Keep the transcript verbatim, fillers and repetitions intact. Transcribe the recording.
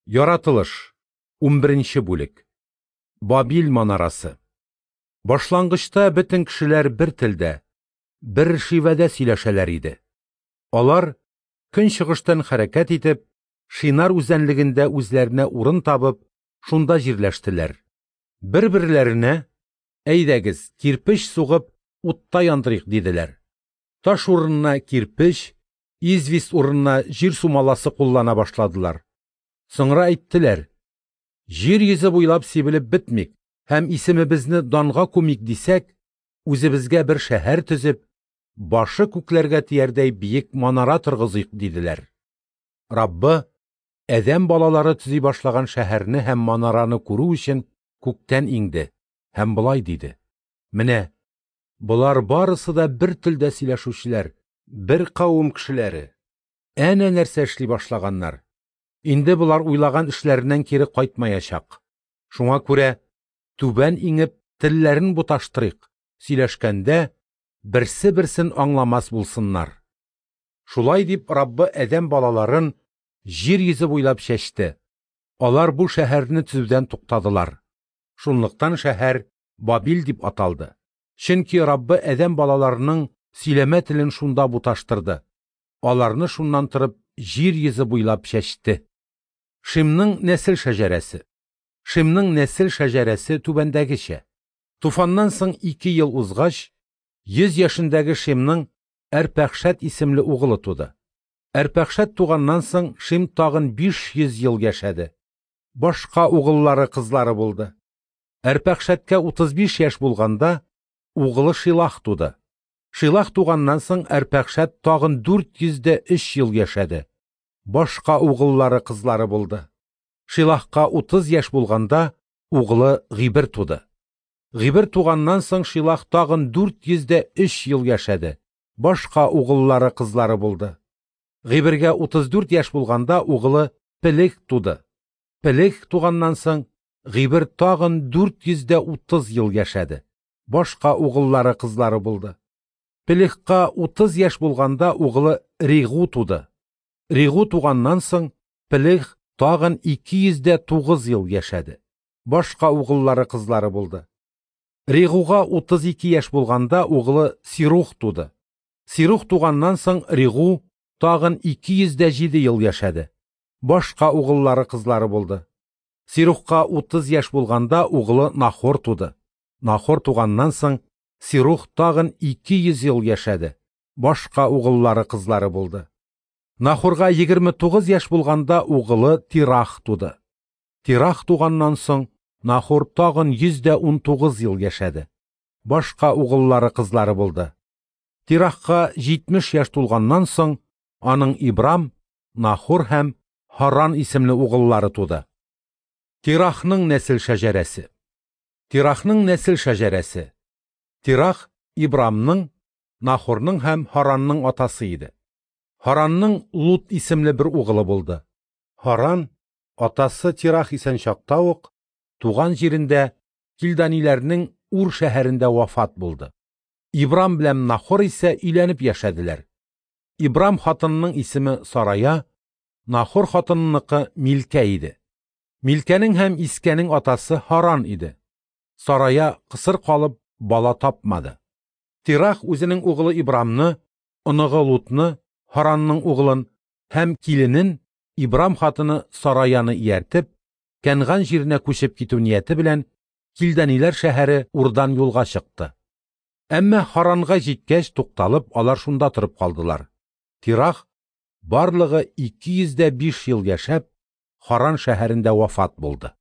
Яратылыш, унберенче бүлек. Бабил манарасы. Башлангычта бөтен кешеләр бер телдә, бер шивәдә сөйләшәләр иде. Алар, көнчыгыштан хәрәкәт итеп, Шинар үзәнлегендә үзләренә урын табып, шунда җирләштеләр. Бер-берләренә: "Әйдәгез, кирпеч сугып, утта яндырыйк", – диделәр. Таш урынына кирпеч, известь урынына җир сумаласы куллана башладылар. Соңра әйттеләр: "Җир йөзе буйлап сибелеп бетмик һәм исемебезне данга күмик дисәк, үзебезгә бер шәһәр төзеп, башы күкләргә тиярдәй биек манара торгызыйк", – диделәр. Раббы адәм балалары төзи башлаган шәһәрне һәм манараны күрү өчен күктән иңде һәм болай диде: "Менә болар барысы да бер телдә сөйләшүчеләр, бер кавым кешеләре. Әнә нәрсә эшли башлаганнар. Инде болар уйлаган эшләреннән кире кайтмаячак. Шуңа күрә түбән иңеп телләрен буташтырыйк, сөйләшкәндә берсе берсен аңламас булсыннар". Шулай дип Раббы адәм балаларын җир йөзе буйлап чәчте. Алар бу шәһәрне төзүдән туктадылар. Шунлыктан шәһәр Бабил дип аталды. Чөнки Раббы адәм балаларының сөйләмә телен шунда буташтырды. Аларны шуннан торып җир йөзе буйлап чәчте. Шимның нәсел шәҗәрәсе. Шимның нәсел шәҗәрәсе түбәндәгечә. Туфаннан соң ике ел узгач, йөз яшендәге Шимның Әрпәхшәт исемле угылы туды. Әрпәхшәт туганнан соң Шим тагын биш йөз ел яшәде. Башка угыллары, кызлары булды. Әрпәхшәткә утыз биш яшь булганда угылы Шилах туды. Шилах туганнан соң Әрпәхшәт тагын дүрт йөз дә өч ел яшәде. Башка угыллары, кызлары булды. Шилахка утыз яшь булганда угылы Гыйбер туды. Гыйбер туганнан соң Шилах тагын дүрт йөз дә өч ел яшәде. Башка угыллары, кызлары булды. Гыйбергә утыз дүрт яшь булганда угылы Пелех туды. Пелех туганнан соң Гыйбер тагын дүрт йөз дә утыз ел яшәде. Башка угыллары, кызлары булды. Пелехка утыз яшь булганда угылы Ригу туды. Ригу туганнан соң Пелех тагын ике йөз дә тугыз ел яшәде. Башка угыллары, кызлары булды. Ригуга утыз ике яшь булганда угылы Сирух туды. Сирух туганнан соң Ригу тагын ике йөз дә җиде ел яшәде. Башка угыллары, кызлары булды. Сирухка утыз яшь булганда угылы Нахор туды. Нахор туганнан соң Сирух тагын ике йөз ел яшәде. Башка угыллары, кызлары булды. Нахорга егерме тугыз яшь булганда угылы Тирах туды. Тирах туганнан соң Нахор тагын йөз дә унтугыз ел яшәде. Башка угыллары, кызлары булды. Тирахка җитмеш яшь тулганнан соң аның Ибрам, Нахор һәм Харан исемле угыллары туды. Тирахның нәсел шәҗәрәсе. Тирахның нәсел шәҗәрәсе. Тирах Ибрамның, Нахорның һәм Харанның атасы иде. Харанның Лут исемле бер угылы булды. Харан атасы Тирах исән чакта ук туган җирендә Килданиләрнең Ур шәһәрендә вафат булды. Ибрам белән Нахор исә өйләнеп яшәделәр. Ибрам хатынының исеме Сарая, Нахор хатыныныкы Милкә иде. Милкәнең һәм Искәнең атасы Харан иде. Сарая кысыр калып бала тапмады. Тирах үзенең угылы Ибрамны, оныгы Лутны, Харанның угылын һәм киленен Ибрам хатыны Сараяны ияртеп, Кәнган җиренә күчеп китү нияте белән Килданиләр шәһәре Урдан юлга чыкты. Әмма Харанга җиткәч тукталып, алар шунда торып калдылар. Тирах барлыгы ике йөз дә биш ел яшәп, Харан шәһәрендә вафат булды.